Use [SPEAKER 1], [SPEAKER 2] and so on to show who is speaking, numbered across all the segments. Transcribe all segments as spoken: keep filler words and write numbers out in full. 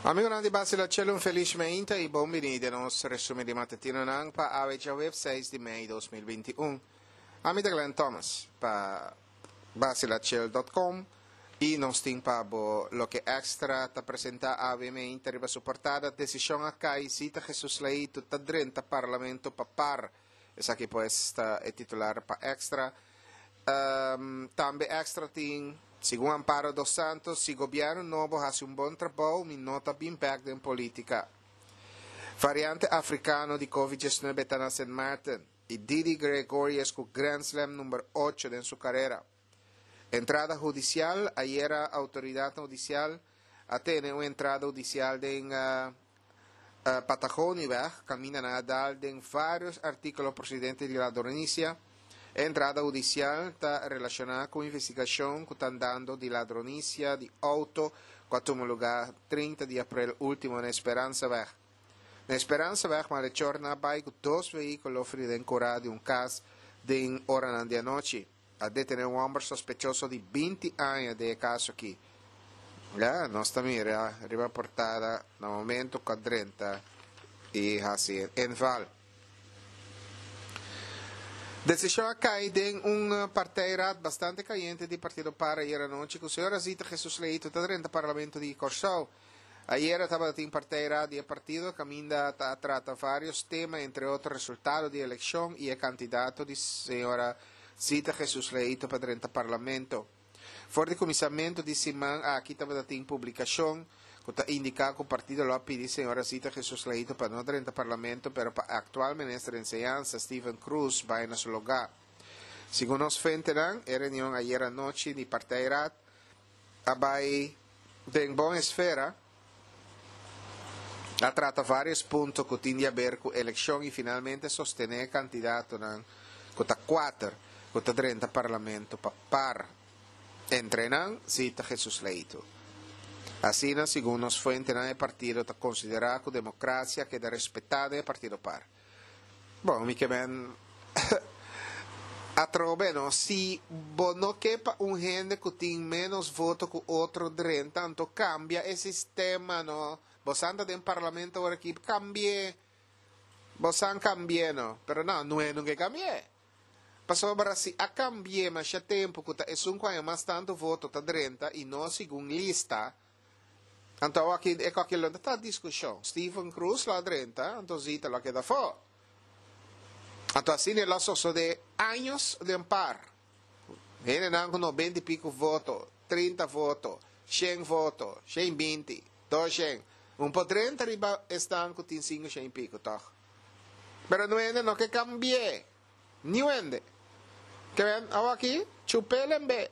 [SPEAKER 1] Amigonan di Basila Chelo, un felis mainta i bon bini den nos resumen di matutinonan pa awe djaweps seis di mei dos mil binti un. Ami ta Glenn Thomas pa basilachel dot com i nos tin pa bo loke Extra ta presenta awe mainta riba su portada, Desishon a kai, Zita Jesus Leito ta drenta Parlamento pa par. Esaki pues ta e titular pa Extra. Tambe Extra tin, Segun Amparo dos Santos, si gobierno nobo haci un bon trabou, mi no ta bin bek den politica. Variante africano di Covid diesnuebe ta na Sint Maarten y Didi Gregorius cu Grand Slam number ocho den su carera. Entrada hudicial, Ayera autoridadnan hudicial a tene un entrada hudicial den Patagonieweg, caminda nan a dal den varios articulo procedente di ladronicia. E entrada hudicial ta relaciona cu investigacion cu ta andando di ladronicia di auto cu a tuma lugar trinta di april ultimo na Esperanzaweg. Na Esperanzaweg malhechornan a bay cu dos vehiculo fri den cura di un cas den oranan di anochi. A detene un homber sospechoso di binti aña den e caso aki. Ya, nos ta mira riba portada na momento cu a drenta y haci e inval. Decision a cay den un partijraad bastante cayente di Partido Par ayer anochi cu señora Zita Jesus Leito ta drenta Parlamento di Corsou. Ayera tabatin partijraad di e partido caminda ta a trata varios tema, entre otro resultado di eleccion y e candidato di señora Zita Jesus Leito pa drenta Parlamento. For di kuminsamentu di siman aki tabata tin publikashon ku ta indiká ku partido lo a pidi señora Zita Jesus Leito pa no drenta parlamento pero pa aktual minister di enseñansa Steven Croes bai na su lugá. Segun nos fuentenan, e reunion ayera anochi di partijraad a bai den bon esfera, a trata varios punto ku tin di aber ku elekshon i finalmente sostené e kandidatonan ku ta kuater ku ta drenta parlamento pa par. Entre nan, Zita Jesus Leito. Asina, segun nos fuentenan e partido ta konsiderá ku demokrasia keda respetá den e partido par. Bon, mi ke men atrobe no, si bo no ke pa un hende ku tin ménos voto ku otro drenta, anto kambia e sistema no. Bo san ta den parlamento awor aki, kambi'é. Bo san kambi'é no, pero no, nu'e no ke kambi'é. Pasobra si a cambi'é masha tempu cu ta esun cu haña mas tantu voto ta drenta y no segun lista, anto awaki e coki lo no ta discusion. Steven Croes lo a drenta, anto Zita lo a keda afó. Anto asina e lo a sosode años den par. Hendenan cu nobenta y pico voto, trinta voto, shen voto, shen binti, dos shen, un por drenta riba esnan cu tin cinco shen y pico, toch? Pero nuende no ke cambi'é. Niun hende. Ke men awaki chup'el en be.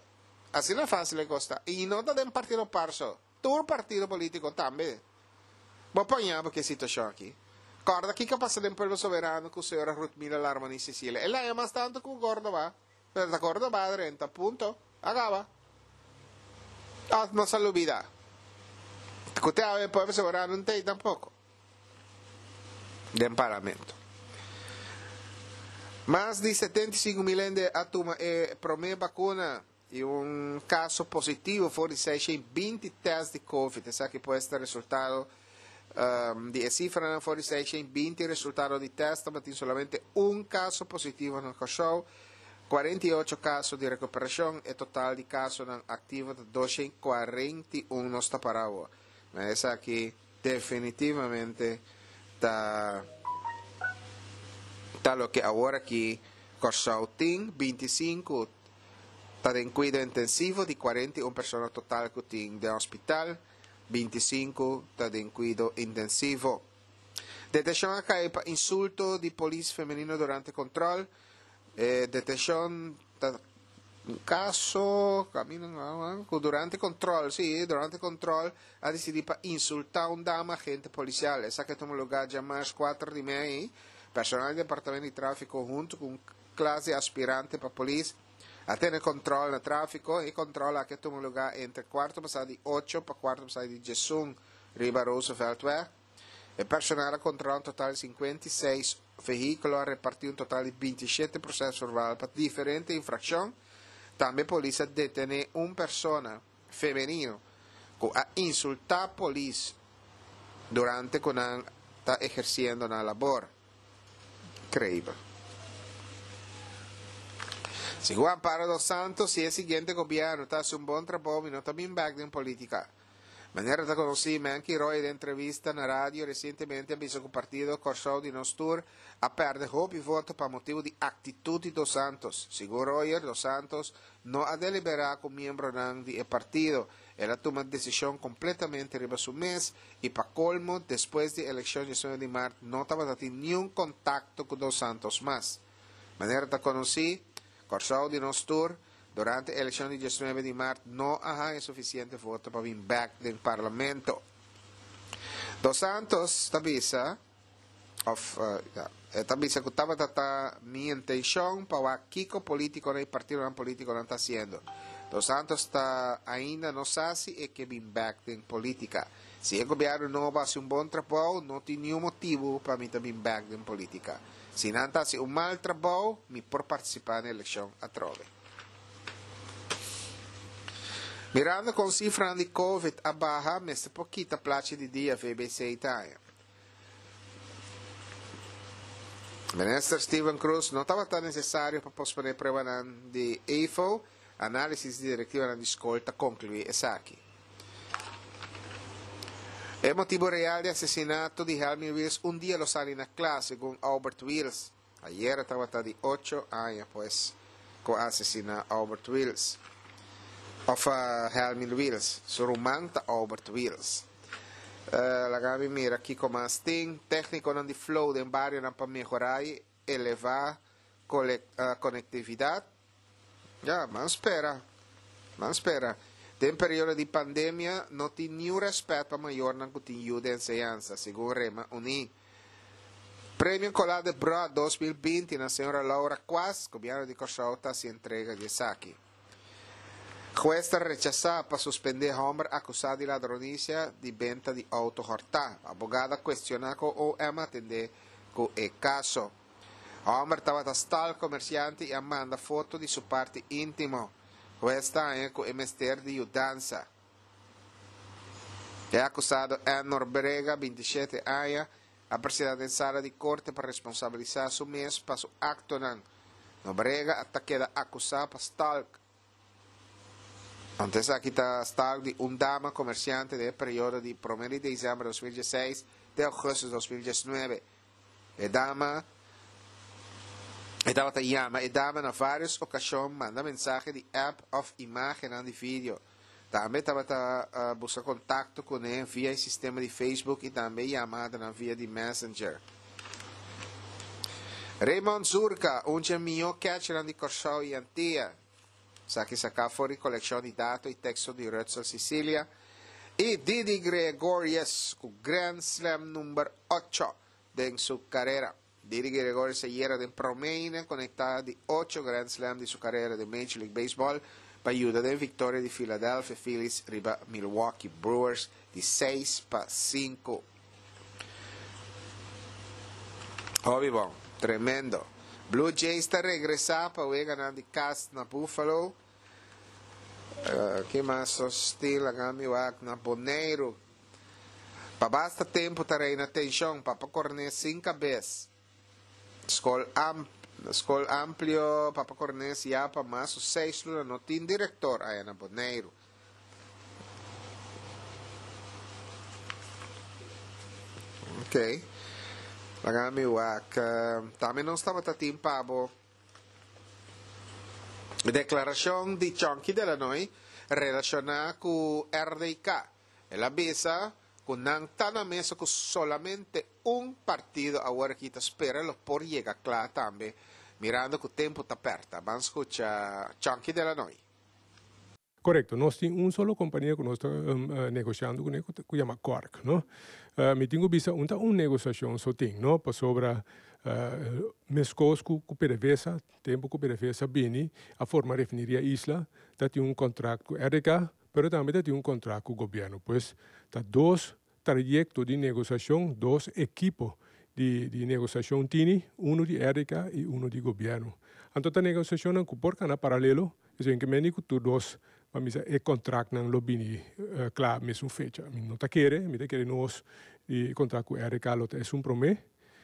[SPEAKER 1] Asina fácil e kos ta. I no ta den partido par so. Tur partido polítiko tambe. Bo paña bo ke situashon aki. Kòrda kiko a pasa den Pueblo Soberano ku señora Ruthmila Larmonie Cecilia. El haña mas tantu ku Córdoba. Pero ta Córdoba a drenta. Punto. A kaba. Òf nos a lubida? Ku te awe Pueblo Soberano no t'ei tampoko. Den Parlamento. Mas di setenta i sinku mil hende a tuma e promé bakuna i un kaso positivo for di seishent i binti tèst di covid. Esaki pues ta resultado di e sifranan for di seishent i binti resultado di tèst tabatin solamente un kaso positivo na Kòrsou, kuarenta i ocho kaso di rekuperashon. E total di kasonan aktivo ta doshent i kuarenta i un nos ta para awor. Na esaki definitivamente ta ta loke awor aki Kòrsou tin, binti i sinku ta den kuido intensivo di kuarenta i un persona total ku tin den hospital, binti i sinku ta den kuido intensivo. Detenshon a kai pa insulto di polis femenino durante kontrol. E detenshon ta Un kaso kaminda ku durante kontrol, sí, durante kontrol a disidí pa insultá un dama agente polisial. Esaki a tuma lugá djamars kuater di mei. Personal di departamento di tráfiko huntu ku un klas di aspirante pa polis a tene kontrol na tráfiko. E kontrol aki a tuma lugá entre kuarto pasá di ocho pa kuarto pasá di diesun riba Rooseveltweg. E personal a kontrolá un total di sinkuenta i seis vehíkulo, a repartí un total di binti i shete proses verbal pa diferente infrakshon. Tambe polis a detené un persona femenino ku a insultá polis Durante ku nan ta ehersiendo nan labor. Inkreibel. Segun Amparo dos Santos, si e siguiente gobièrnu ta hasi un bon trabou, mi no ta bin bèk den polítika. Manera ta konosí, Menky Roy den entrevista na radio resientemente a bisa ku partido Kòrsou di Nos Tur a pèrdè hopi voto pa motibu di aktitut di dos Santos. Segun Royer, dos Santos no a deliberá ku miembronan di e partido. El a tuma desishon kompletamente riba su mes i pa kolmo despues di elekshon diesnuebe di mart no tabata tin niun kontakto ku dos Santos mas. Manera ta konosí, Kòrsou di Nos Tur durante elekshon di diesnuebe di mart no a haña sufisiente voto pa bin bèk den parlamento. Dos Santos ta bisa òf ya, e ta bisa ku tabata ta mi intenshon pa wak kiko polítikonan i partidonan polítikonan ta hasiendo. Dos Santos ta ainda no sa si e ke bin bèk den polítika. Si e gobièrnu nobo hasi un bon trabou, no tin niun motibu pa mi ta bin bèk den polítika. Si nan ta hasi un mal trabou, mi por partisipá na elekshon atrobe. Mirando kon sifranan di Covid a baha, mester por kita plachi di dia, V B C ta haña. Minister Steven Cruz no tabata nesesario pa posponé pruebanan di E F O. Análisis di direktivanan di skol ta konkluí esaki. E motibu real di asesinato di Helmi Wiels un dia lo sali na kla, segun Albert Wiels. Ayera tabata di ocho aña pues ku a asesiná Albert Wiels. Òf uh, Helmi Wiels. Su ruman ta Albert Wiels. Uh, laga mi mira kiko mas tin. Téknikonan di Flow den barionan pa mehorá i elevá uh, konektividat. Ja, ban spera. Ban spera. Den periodo di pandemia no tin niun rèspèt pa mayornan ku tin yu den enseñansa, segun Rema Uní. Premio Colá de Brot dos mil binti na señora Laura Quas, gobièrnu di Kòrsou ta hasi entrega di esaki. Hues ta rechasá pa suspendé hòmber akusá di ladronisia di benta di outo hòrtá. Abogado a kuestioná ku O M a atendé ku e kaso. Hòmber tabata stalk komersiante i a manda foto di su parti íntimo. Hues ta haña ku e mester di yudansa. E akusado Enor Brega, binti shete aña, a presentá den sala di korte pa responsabilisá su mes pa su aktonan. Nobrega ta keda akusá pa stalk. Antes aki ta stalk di un dama komersiante den periodo di promé di desèmber di dos mil diesseis te ougùstùs dos mil diesnuebe. E dama e tabata yama e dama na vários okashon, manda mensahe di app òf imágen di video. Tambe tabata uh, buska kontakto kuné via e sistema di Facebook i tambe yamada via di Messenger. Raymond Zurka, un di e mihó catcher di Kòrsou i Antia. Esaki saká for di kolekshon di dato i teksto di Rutsel Sicilia. I Didi Gregorius ku Grand Slam number ocho den su karera. Didi Gregorius ayera den promé konektá di ocho Grand Slam di su karera di Major League Baseball pa yuda den viktoria di Philadelphia Phillies riba Milwaukee Brewers di seis pa sinku. Hopi bon, tremendo. Blue Jays ta regresá pa wega di kas na Buffalo. Uh, ke mas hostil mi wak na Boneiru. Pa basta tempu ta reina tenshon, Papa Cornes sin kabes. Skol, am, skol amplio, Papa Cornes ya pa mas seis luna no tin direktor aya na Boneiru. Ok. Laga mi wak. Tambe nos tabata tin pa bo deklarashon di Chonky Delanoy relashoná ku R D K. El a bisa ku nan ta na mesa ku solamente un partido, awor aki ta spera lo por yega kla tambe, mirando ku tempu ta pèrta. Ban skucha Chonky Delanoy.
[SPEAKER 2] Korekto, nos tin un solo kompania ku nos ta um, uh, negoshando kuné, ku yama Cork, no? Uh, mi tin ku bisa un ta un negoshashon so tin, no? Pasobra uh, meskos ku ku P D V S A, tempu ku P D V S A bini a forma refineria Isla, ta tin un kontrakt ku R D K, pero tambe ta tin un kontrakt ku gobièrnu. Pues ta dos trayekto di negoshashon, dos ekipo di, di negoshashon tini, unu di R D K i unu di gobièrnu. Anto ta negoshashon ku por kana paralelo, esei ke men ku tur dos pa misa e kontraktnan lo bini uh, kla mesun fecha. Mi no ta kere, mi ta kere nos E kontrakt ku R D K lo ta esun promé.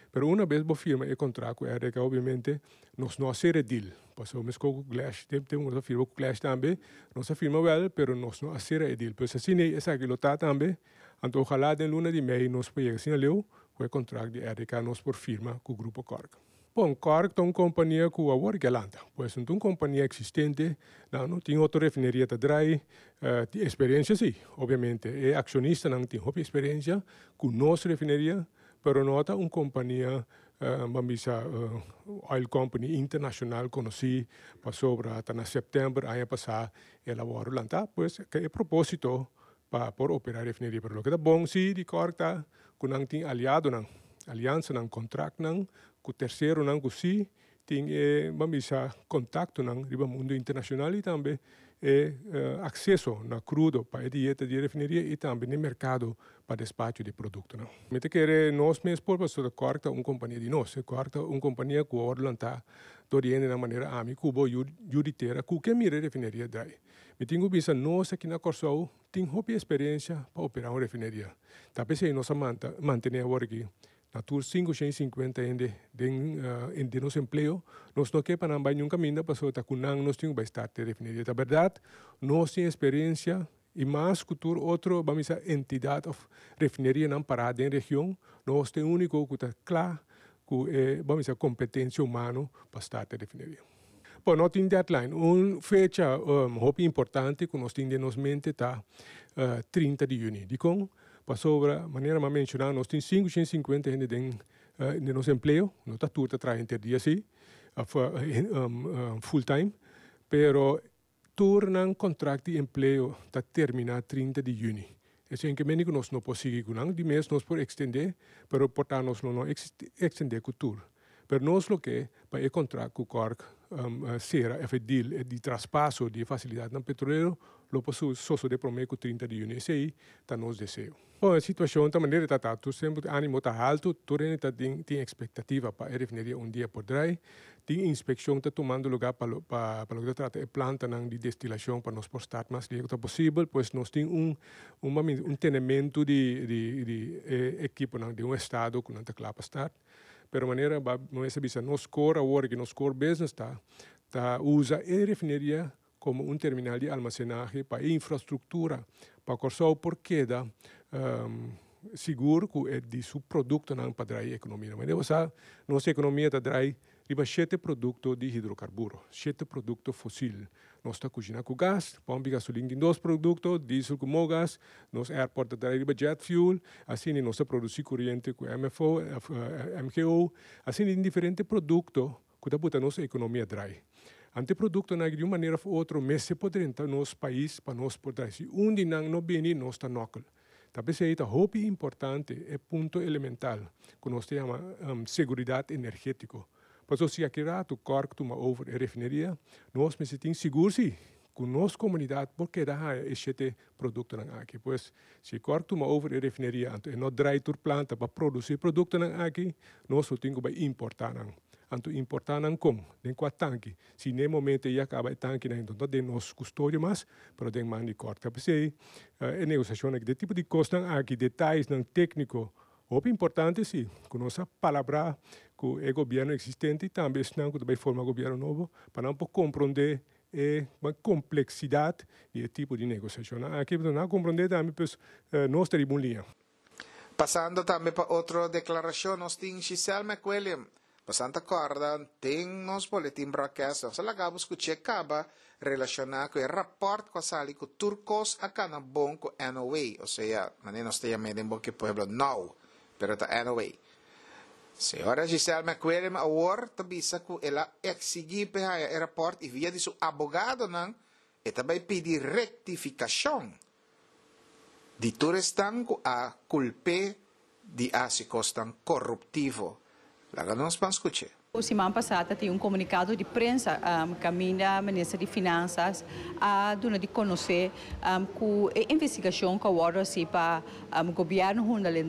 [SPEAKER 2] Pero una bes bo firma e kontrakt ku R D K, obviamente, nos no a sera deal. Pasobra meskos ku Klesch, tin tin nos a firma ku Klesch tambe, nos a firma wel, pero nos no a sera e deal. Pues asina esaki lo ta tambe. Anto ojalá den luna di mei nos por yega asina leu ku e kontrakt di R D K nos por firma ku Grupo Cork. Bon, Cork ta un kompania ku awor ku a lanta. Pues un kompania eksistente, no, no tin otro refineria ta drai, uh, tin eksperensia sí, obviamente. E akshonistanan tin hopi eksperensia ku nos refineria, pero no ta un kompania, uh, ban bisa, uh, oil company internashonal konosí, pasobra ta na sèptèmber aña pasá el a wòrdu lantá, pues ku e propósito pa por operá refineria. Pero loke ta bon sí di Cork ta ku nan tin aliadonan, aliansanan, kontraktnan ku terseronan ku sí tin eh, ban bisa, kontaktonan riba mundu internashonal i tambe eh, eh, akseso na krudo pa e dieta di refineria i tambe na merkado pa despacho di produktonan. Mi ta kere nos mes por, pasobra Cork ta un kompania di nos, Cork ta un kompania ku a wòrdu lantá dor di na manera ami ku bo yu di tera ku ke mira refineria drai. Mi tin ku bisa, nos aki na Kòrsou tin hopi eksperensia pa operá un refineria. Ta p'esei nos a mantené awor aki na tur sinku shen i sinkuenta hende den, uh, den nos empleo, nos no ke pa nan bai ningun kaminda, pasobra ta ku nan nos tin ku start e refineria. Ta bèrdat, nos tin eksperensia i mas ku tur otro, ban bisa, entidat òf refinerianan pará den region, nos ta úniko ku ta kla ku eh, ban bisa, kompetensia humano pa start e refineria. Bon, no tin deadline. Un fecha um, hopi importante ku nos tin den nos mente ta uh, trinta di yüni. Dikon? Pasobra, manera m'a menshoná, nos tin sinku shen i sinkuenta hende den, uh, den nos empleo, no ta tur ta traha henter dia sí, uh, um, um, full time, pero tur nan kontrakt di empleo ta terminá trinta di yüni. Esei ke men ku nos no por sigui ku nan, di mes nos por ekstendé, pero por ta nos no no ekstendé ku tur. Pero nos lo ke pa e kontrakt ku Cork um, uh, sera e deal di traspaso di fasilidatnan petrolero lo por sosodé promé ku trinta di yüni. Esei ta nos deseo. Bon, e situashon ta manera ta ta, semper ánimo ta haltu, tur ta tin, tin ekspektativa pa e refineria un dia por drai. Tin inspekshon ta tumando lugá pa pa pa loke ta trata e plantanan di destilashon pa nos por start mas lihé posibel, pues nos tin un un un tenementu di di di eh, ekiponan den un estado ku nan ta kla pa start. Pero manera nos bisa, nos core awor ku nos core business ta ta usa e refineria komo un terminal di almasenahe pa infrastruktura pa Kòrsou por keda um, sigur ku e di su produktonan pa drai ekonomia. Mas bo nos ekonomia ta drai riba shete produkto di hidrokarburo, shete produkto fosil. Nos ta kushiná ku gas, pòmp gasolin tin dos produkto, diesel ku mogas, nos airport ta drai riba jet fuel, asina nos ta produsí koriente ku M F O, M G O, asina tin diferente produkto ku ta buta nos ekonomia drai. Anto produktonan di un manera òf otro, mester por drenta nos pais pa nos por drai. Si un di nan no bini, nos ta nòkel. Ta p'esei ta hopi importante, e punto elemental ku nos ta yama um, seguridat energétiko. Pasobra si aki ratu Cork tuma over e refineria, nos mester tin sigur sí ku nos komunidat por keda haña e shete produktonan aki. Pues si Cork tuma over e refineria anto e no drai tur planta pa produsí produktonan aki, nos tin ku importá nan. Anto importá nan kon? Den kua tanki? Si na momento ya kaba e tankinan, no ta den nos kustodia mas, pero den man di Cork. P'esei, e negosiashon aki, e tipo di kosnan aki, detayenan tékniko, hopi importante sí, ku nos a palabrá ku e gobièrnu eksistente i tambe esnan ku ta bai forma gobièrnu nobo, pa nan por komprondé e kompleksidat di e tipo di negosiashon. Aki nan komprondé tambe, pues, nos ta riba un liña.
[SPEAKER 1] Pasando tambe pa otro deklarashon, nos tin Giselle McWilliam. Bastante kòrda, tin nos boletin broadcast, nos a laga bo skucha kaba relashoná ku e rapòrt ku a sali ku tur kos a kana bon ku N O A, osea, manera nos ta yam'é den boka pueblo now, pero ta N O A. Señora Giselle McWilliam awor ta bisa ku el a eksigí pa e rapòrt i via di su abogadonan e ta bai pidi rektifikashon di tur esnan ku a kulp'é di hasi kosnan koruptivo. Laga nos ban skucha.
[SPEAKER 3] Siman pasá tin un komunikado di prensa um, kaminda minister di Finansa a duna di konosé um, ku e investigashon ku awor si pa um, gobièrnu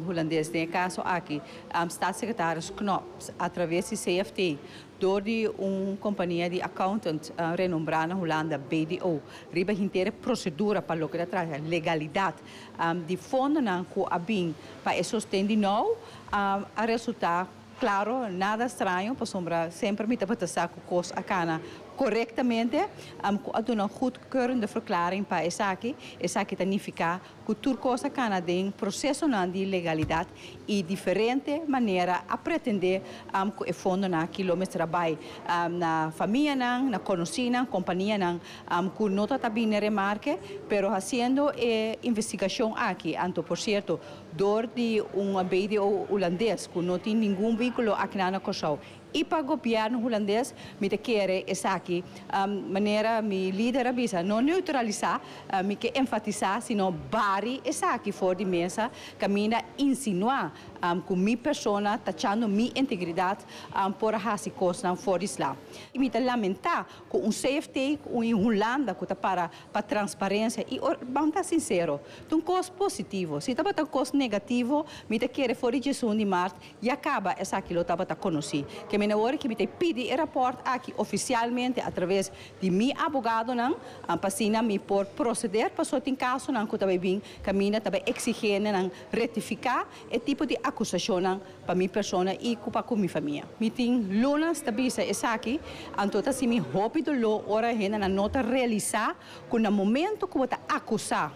[SPEAKER 3] hulandes, den kaso aki um, staatssecretaris Knops atraves di C F T dor di un kompania di accountant uh, renombrá na Hulanda, B D O, riba henter prosedura pa loke ta trata legalidat um, di fondonan ku a bin pa e sosten di N O W, um, a resultá klaro, nada straño, pasombra semper mi tabata sa ku kos a kana korektamente, um, a duna goedkeurende verklaring pa esaki, esaki ta nifiká ku tur kos a kana den proseso di legalidat i diferente manera a pretendé um, ku e fondonan aki lo mester bai um, na famianan, na konosínan, kompanianan um, ku no ta bin remarke, pero hasiendo e investigashon aki, anto por sierto, dor di un B D O hulandes ku no tin ningun vínkulo aki na Kòrsou i pa gobièrnu hulandes, mi ta kere esaki, um, manera mi lider a bisa, no neutralisá, uh, mi ke enfatisá, sino bari esaki for di mesa, kaminda insinuá um, ku mi persona, tachando mi integridat, um, por hasi kosnan for di sla. I mi ta lamentá ku un C F T na Hulanda ku ta para pa transparensia i or, ban ta sinsero, un kos positivo. Si tabata un kos negativo, mi ta kere for di diesun di mart ya kaba esaki lo tabata konosí. Ke men awor ku mi ta pidi e rapòrt aki ofisialmente atraves di mi abogadonan, um, pa asina mi por proseder, paso tin kasonan ku tambe bin kaminda tambe eksigí nan rektifiká e tipo di akusashon pa mi persona i pa ku mi famia. Mi tin luna ta bisa esaki, anto ta hasi mi hopi doló ora hende no ta realisá ku na momento ku ta akusá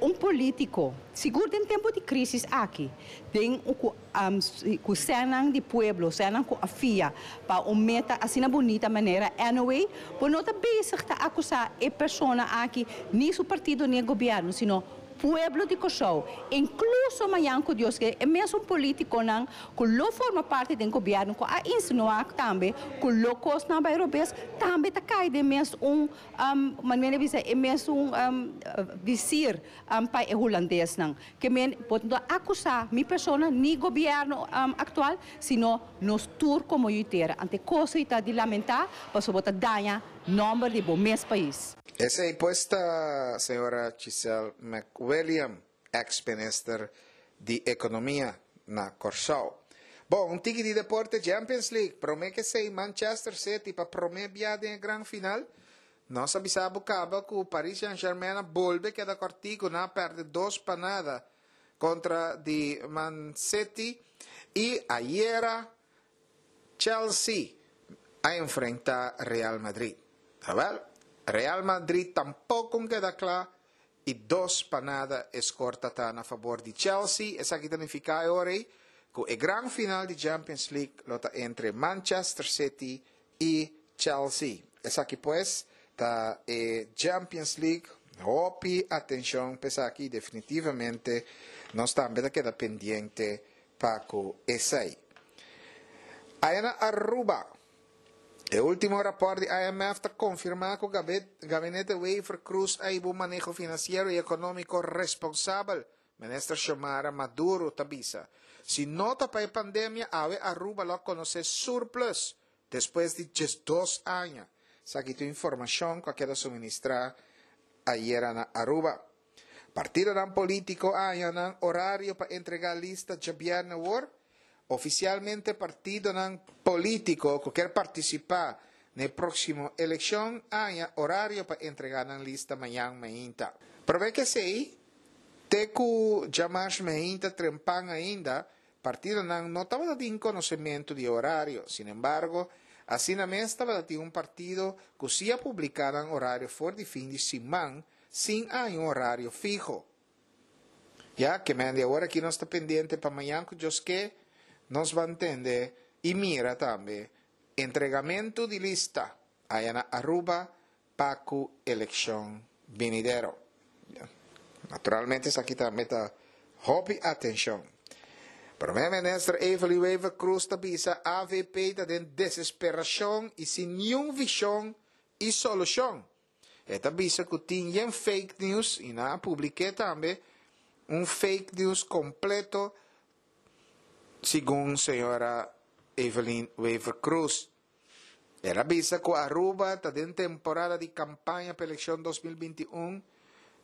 [SPEAKER 3] un polítiko, sigur den tempu di krísis aki, tin ku um, ku sènnan di pueblo, sènnan ku a fia pa un meta asina bunita manera anyway, bo no ta bezig ta akusá e persona aki, ni su partido ni gobièrnu, sino pueblo di Kòrsou, inkluso mañan ku Dios ke, e mesun polítikonan, ku lo forma parti di gobièrnu, ku a insinuá tambe, ku lo kosnan bai robes, tambe ta kai den mesun um, manera bisa, e mesun um, vizier um, pa e hulandesnan. Ke men, bo no akusá mi persona, ni gobièrnu um, aktual, sino nos tur komo tera. Anto kos ta di lamentá, paso bo ta daña nòmber di bo mes pais.
[SPEAKER 1] Esei pues ta señora Giselle McWilliam, ex-minister di Ekonomia na Kòrsou. Bon, un tiki di deporte. Champions League, promé ku esei Manchester City pa promé bia den gran final. Nos a bisa kaba ku Paris Saint-Germain bolbe keda kòrtiku, nan a pèrdè dos pa nada kontra di Man City i ayera Chelsea a enfrentá Real Madrid. Awèl, Real Madrid tampoko a keda kla i dos pa nada e skor ta na fabor di Chelsea. Esaki ta nifiká ku e gran final di Champions League lo ta entre Manchester City i Chelsea. Esaki pues ta e Champions League. Hopi atenshon pa esaki, definitivamente nos tambe ta keda pendiente pa ku esei. Aya na Aruba, e último rapòrt di I M F ta konfirmá ku gabinete Wever-Croes a hiba un maneho finansiero i ekonómiko responsabel. Minister Xiomara Maduro ta bisa. Si no ta pa e pandemia, awe Aruba lo konosé surplus despues di dos aña. Esaki ta informashon ku a keda suministrá ayera na Aruba. Partidonan polítiko a haña nan horario pa entregá lista djabièrnè awor. Ofisialmente partidonan polítiko ku ke partisipá na próksimo elekshon a haña horario pa entregá nan lista mañan mainta. Pero ku esei, te ku djamars mainta trempan ainda, partidonan no tabatin konosementu di horario. Sin embargo, asina mes tabatin un partido ku sí a publiká nan horario for di fin di siman, sin un horario fiho. Ya ke men awor aki nos ta pendiente pa mañan ku Dios ke, nos bai tende i mira tambe entregamentu di lista aya na Aruba pa ku elekshon benidero. Naturalmente, esaki tambe ta hopi atenshon. Promé minister Evelyn Wever-Croes ta bisa A V P ta den desesperashon i sin ningun vishon i solushon. E ta bisa ku tin fake news i nan a publiká tambe un fake news kompleto, segun señora Evelyn Wever-Croes. El a bisa ku Aruba ta den temporada di kampaña pa elekshon dos mil binti un,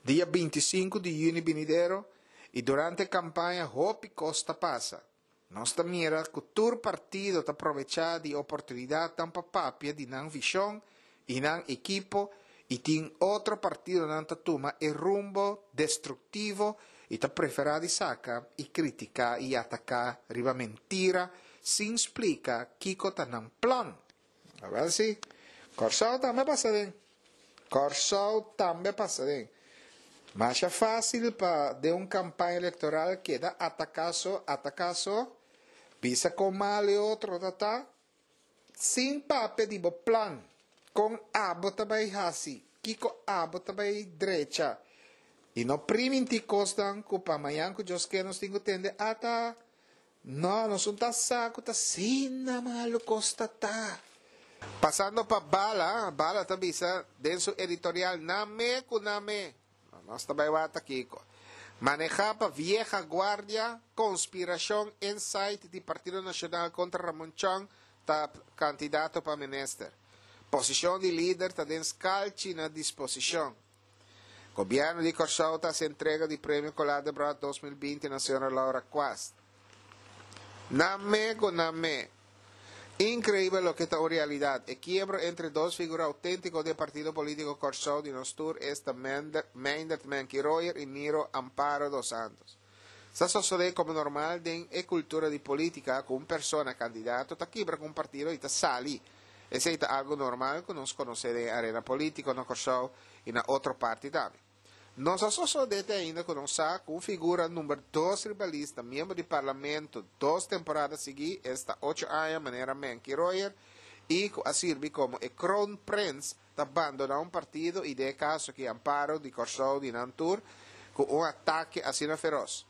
[SPEAKER 1] dia binti i sinku di yüni binidero, i durante kampaña hopi kos ta pasa. Nos ta mira ku tur partido ta probechá di oportunidatnan pa papia di nan vishon i nan ekipo i tin otro partidonan ta tuma e rumbo destruktivo i ta preferá di saka i kritiká i ataká riba mentira sin splika kiko ta nan plan. Awel si, Kòrsou tambe a pasa den. Kòrsou tambe a pasa den. Masha fásil pa den un kampaña elektoral keda ataká so, ataká so, bisa kon mal e otro ta ta, sin papia di bo plan, kon abo ta bai hasi, kiko abo ta bai drecha. I no primintí kosnan ku pa mañan ku Dios ke nos tin ku tende ata. No, nos un ta sa ku ta asina malu kos ta ta. Pasando pa Bala, Bala ta bisa den su editorial Na me ku na me. Nos ta bai wak kiko. Manehá pa vieja guardia, konspirashon inside di Partido Nashonal kontra Ramon Chong ta kandidato pa minister. Posishon di lider ta den skalchi na disposishon. Gobièrnu di Kòrsou ta hasi entrega di Premio Colá Debrot dos mil binti na señora Laura Quast. Na me ku na me. Inkreibel loke ta un realidat. E kiebro entre dos figura outéntiko di e partido polítiko Kòrsou di nos tur esta Meindert Menki Royer i Miro Amparo dos Santos. Sa sosodé komo normal den e kultura di polítika ku un persona kandidato ta kibra ku un partido i ta sali. Esei ta algu normal ku nos konosé den e arena polítiko na Kòrsou i na otro parti tambe. No sa sosodé te ainda ku nos sa ku un figura number dos riba lista miembro di parlamento dos temporada siguí, esta ocho aña manera Menki Royer, i ku a sirbi komo e kroonprins ta bandoná un partido i den e kaso aki Amparo di Kòrsou di nan tur ku un atake asina feros.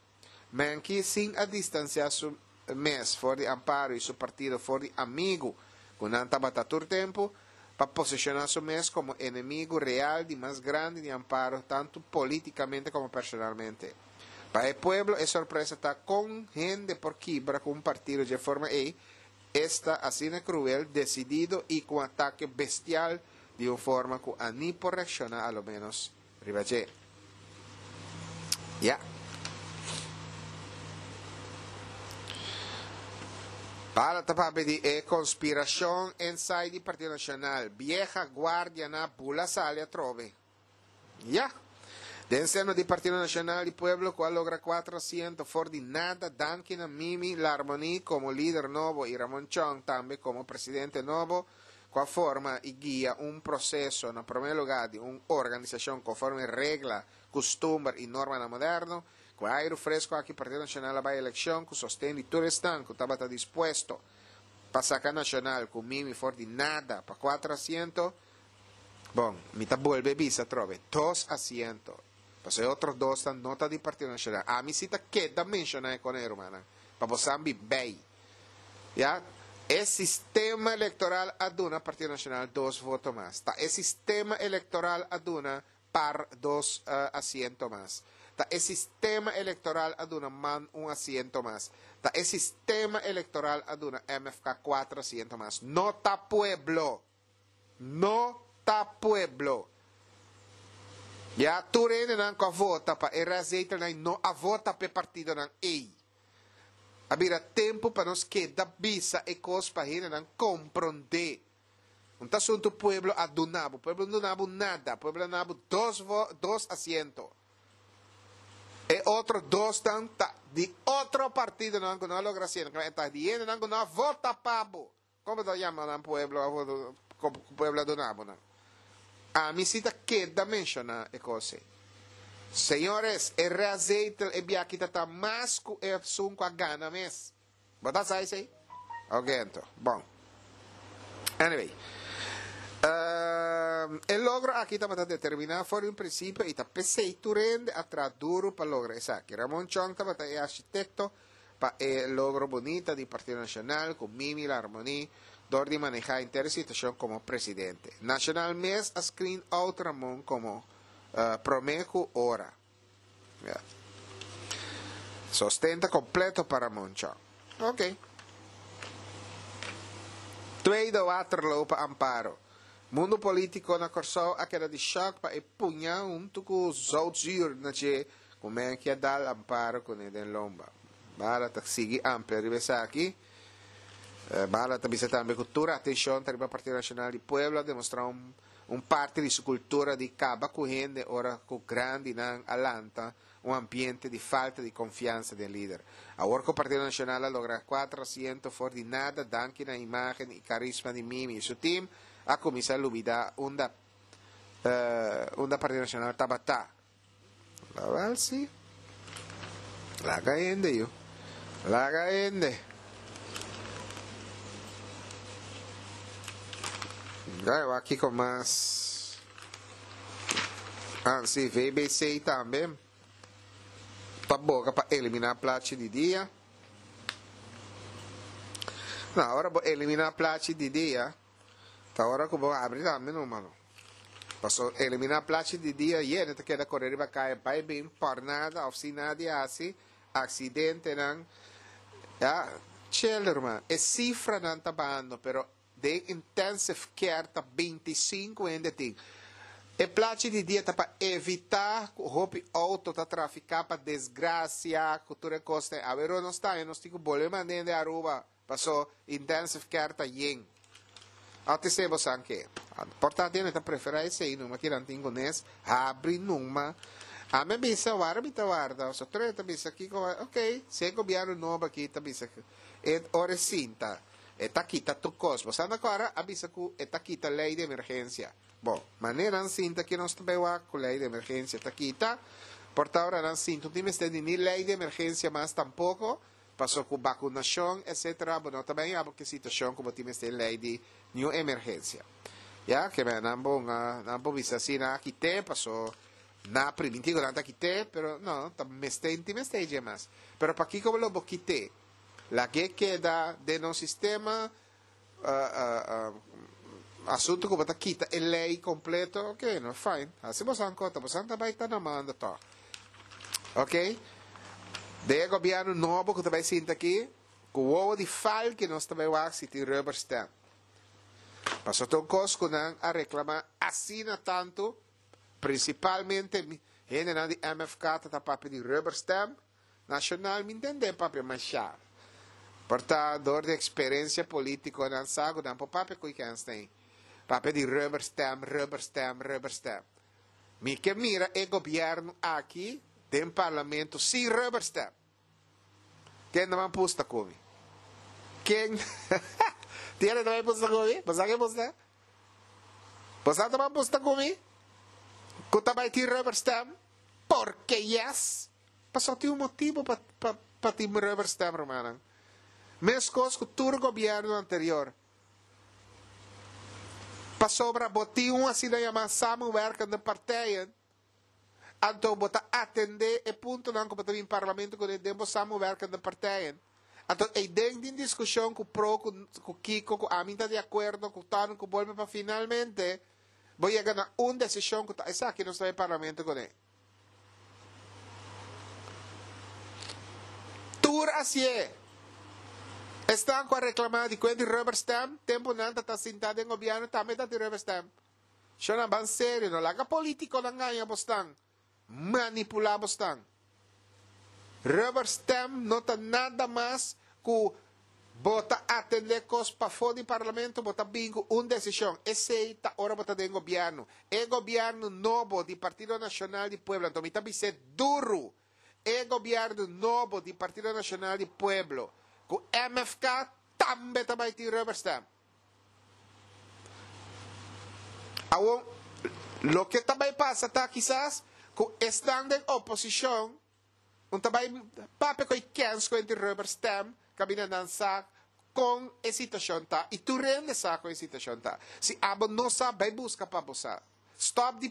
[SPEAKER 1] Menki sin a distansiá su mes for di Amparo i su partido for di amigu ku nan tabata tur tempu, pa posishoná su mes komo enemigu real di mas grandi di Amparo tantu polítikamente komo personalmente. Pa e pueblo e sorpresa ta kon hende por kibra ku un partido dje forma ei, esta asina kruel, desidido i ku un atake bestial di un forma ku a ni por reakshoná a lo ménos riba dje. Ya. Bala ta papia di e konspirashon inside di Partido Nashonal. Bieha guardia na bula sali atrobe. Ya. Den seno di Partido Nashonal di Pueblo ku a logra kuater asiento for di nada danki na Mimi Larmonie komo lider nobo i Ramon Chong tambe komo presidente nobo ku a forma i guia un proseso na promé lugá di un organisashon konforme regla, kustumber i normanan moderno. Ku e airu fresku aki Partido Nashonal a bai elekshon ku sosten di tur esnan ku tabata dispuesto pa saka Nashonal ku Mimi for di nada pa kuater asiento. Bon, mi ta bolbe bisa atrobe, dos asiento. Pasobra e otro dosnan no ta di Partido Nashonal. Ami si ta keda menshoná e kone, rumannan, pa bo san bi bei. Ya, e sistema elektoral a duna Partido Nashonal dos voto mas. Ta e sistema elektoral a duna par dos asiento mas. Ta e sistema elektoral a duna man un asiento mas. Ta e sistema elektoral a duna M F K kuater asiento mas. No ta pueblo! No ta pueblo! Ya, tur hendenan ku a vota pa e restzetelnan no a vota pa e partidonan ei. A bira tempu pa nos keda bisa e kos pa hendenan komprondé. Un ta asuntu pueblo a duna bo. Pueblo no duna bo nada. Pueblo a duna bo dos vo, dos asiento. E otro dosnan ta di otro partidonan ku no a logra asiento. E ta di hendenan ku no a vota pa bo. Kon bo ta yama nan pueblo a vota, ku pueblo a duna bo nan? Ami si ta keda menshoná e kos ei. Señores, e restzetel e biaha ta ta mas ku esun ku a gana mes. Bo ta sa esei? Ok, anto. Bon. Anyway. Uh, e logro aki tabata determiná for di un prinsipio i ta p'esei tur hende a traha duru pa logra esaki. Ramon Chong tabata e architekto pa e logro bunita di Partido Nashonal ku Mimi Larmonie dor di manehá henter e situashon komo presidente. Nashonal mes a screen out Ramon komo uh, promé ku ora. Yeah. Sostenta kompleto pa Ramon Chong. Ok. Tweede Waterloo pa Amparo. Mundu polítiko na Kòrsou a keda di shòk pa e puña huntu ku zoutzuur na dje ku men ke dal Amparo kuné den lomba. Bala ta sigui amplia riba esaki. Bala ta bisa tambe ku tur atenshon ta riba Partido Nashonal di Pueblo a demostrá un un parti di su kultura di kaba ku hende ora ku grandinan a lanta un ambiente di falta di konfiansa den lider. Awor ku Partido Nashonal a logra kuater asiento for di nada danki na imágen i karisma di Mimi i su tim a kuminsá lubidá unda unda Partido Nashonal tabata. Lawel si. Laga hende yu. Laga hende. Gai wak kiko mas. Ah si, V B C tambe ta boga pa eliminá plachi di dia. No, ora bo eliminá plachi di dia, ta ora ku bo abri tambe numa no. Paso eliminá plachi di dia yende ta keda kore riba kaya bai bin por nada of sin nada di hasi, aksidentenan. Ya, chel ruman. E sifranan ta bahando pero den intensive care ta binti sinku hende tin. E plachi di dia ta pa evitá ku hopi outo ta trafiká pa desgrasia ku tur e kosnan. Awe nos ta nos tin ku bolbe manda hende Aruba paso intensive care ta yen. Ate se bosan ke. Por ta hende ta preferá esei numa kiran tin ku nes habri numa. Ami a bisa wara mi ta warda. So tur ta bisa kiko ok si e gobièrnu nobo aki ta bisa e ora e sinta e ta kita tur kos. Bosan ta kòrda a bisa ku e ta kita lei di emergensia. Bon, manera nan sinta ki nos ta bai wak ku lei di emergensia ta kita. Por ta ora nan sinta no tin mester di ni lei di emergensia mas tampoko, paso ku bakunashon etsetera bo no ta bai abo ki situashon ku bo tin mester lei di niun emergensia. Ya, ke men nan bo nan por bisa si nan a kit'é paso nan a primintí ku nan ta kit'é, pero no, ta mester tin mester dje mas. Pero pakiko lo bo kit'é? Lag'é keda den nos sistema. Asunto ku bo ta kita e lei kompleto, ok, no, fine. Hasi bosan kota, bosan ta bai ta na manda tòg. Ok? Den e gobièrnu nobo ku ta bai sinta aki, ku wowo di falki nos ta bai wak si tin rubber stamp. Pasobra ta un kos ku nan a reklamá asina tantu, prinsipalmente hendenan di M F K ta ta papia di rubber stamp. Nacional mi ntende papia masha. Por ta door di experencia politico nan sa cu nan por papia cu Kenstein. Papia di rubber stamp, rubber stamp, rubber stamp. Mi ke mira e gobierno aki den parlamento sin rubber stamp. Ken ta man pusta cu mi? Ken? Tiene ta man pusta cu mi? Bo sa ke pusta? Bo sa ta man pusta cu mi? Cu ta bay tin rubber stamp? Porque yes! Pasobra tin un motibu pa pa pa tin rubber stamp, rumannan. Meskos ku tur gobièrnu anterior. Pasobra bo tin un asina yamá samenwerkende partijen, anto bo ta atendé e puntonan ku bo ta bin parlamento kuné den bo samenwerkende partijen. Anto eiden tin diskushon ku pro, ku ku kiko, ku ami ta di akuerdo, ku tòrn, ku bolbe pa finalmente bo yega na un desishon ku ta esaki nos ta bin parlamento kuné. Tur hasié. Esnan ku a reklamá di kuen di rubber stamp, tempu nan ta ta sintá den gobièrnu tambe ta tin rubber stamp. Shonnan ban serio, no laga polítikonan gaña bosnan, manipulá bosnan. Rubber stamp no ta nada mas ku bo ta atendé kos pafó di parlamento, bo ta bin ku un desishon. Esei ta ora bo ta den gobièrnu. E gobièrnu nobo di Partido Nashonal di Pueblo, anto mi ta bis'é duru, e gobièrnu nobo di Partido Nashonal di Pueblo ku M F K tambe ta bai tin rubber stamp. Awor, loke ta bai pasa ta kisas ku esnan den oposishon un ta bai papia ku e kens ku e rubber stamp kabina nan sa kon e situashon ta i tur hende sa kon e situashon ta. Si abo no sa, bai buska pa bo sa. Stòp di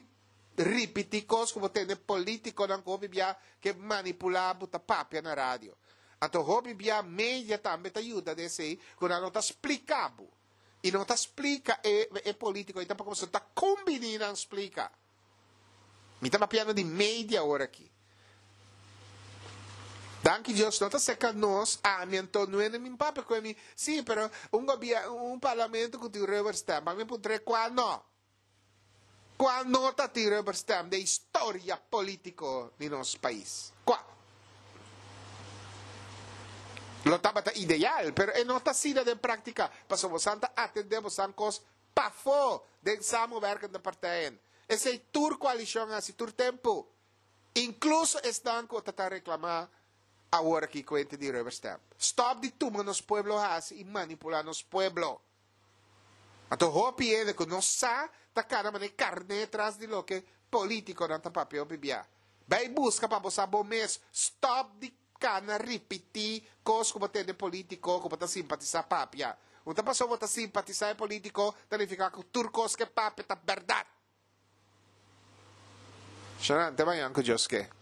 [SPEAKER 1] ripití kos ku bo tende polítikonan ku hopi bia ke manipulá bo ta papia na radio. Anto hopi bia media tambe ta yuda den esei ku nan no ta splika bo. I no ta splika e e polítiko i tampoko pasobra ta kumbiní nan splika. Mi ta papiando di media ora aki. Danki Dios, no ta serka nos, ami anto no e mi papia ku mi, sí, pero un gobièrnu, un parlamento ku tin rubber stamp, ami puntr'é kua no. Kua no ta tin rubber stamp den historia polítiko di nos pais? Kua? Lo tabata ideal, pero e no ta asina den práktika. Pasobra boso ta atendé boso kos pafó den samenwerkende partijen. Esei tur koalishon hasi tur tempu. Inkluso esnan ku ta reklamá awor aki kuenta di rubber stamp. Stop di tuma nos pueblo hasi i manipulá nos pueblo. Anto hopi hende ku no sa ta kana manera karné tras di loke polítikonan ta papia bibia. Bai buska pa bo sa bo mes. Stop di kana ripití kos ku bo tende polítiko ku bo ta simpatisá papia. No ta pasobra bo ta simpatisá e polítiko ta nifiká ku tur kos ku e papia ta bèrdat. Shanan, te mañan ku Dios ke.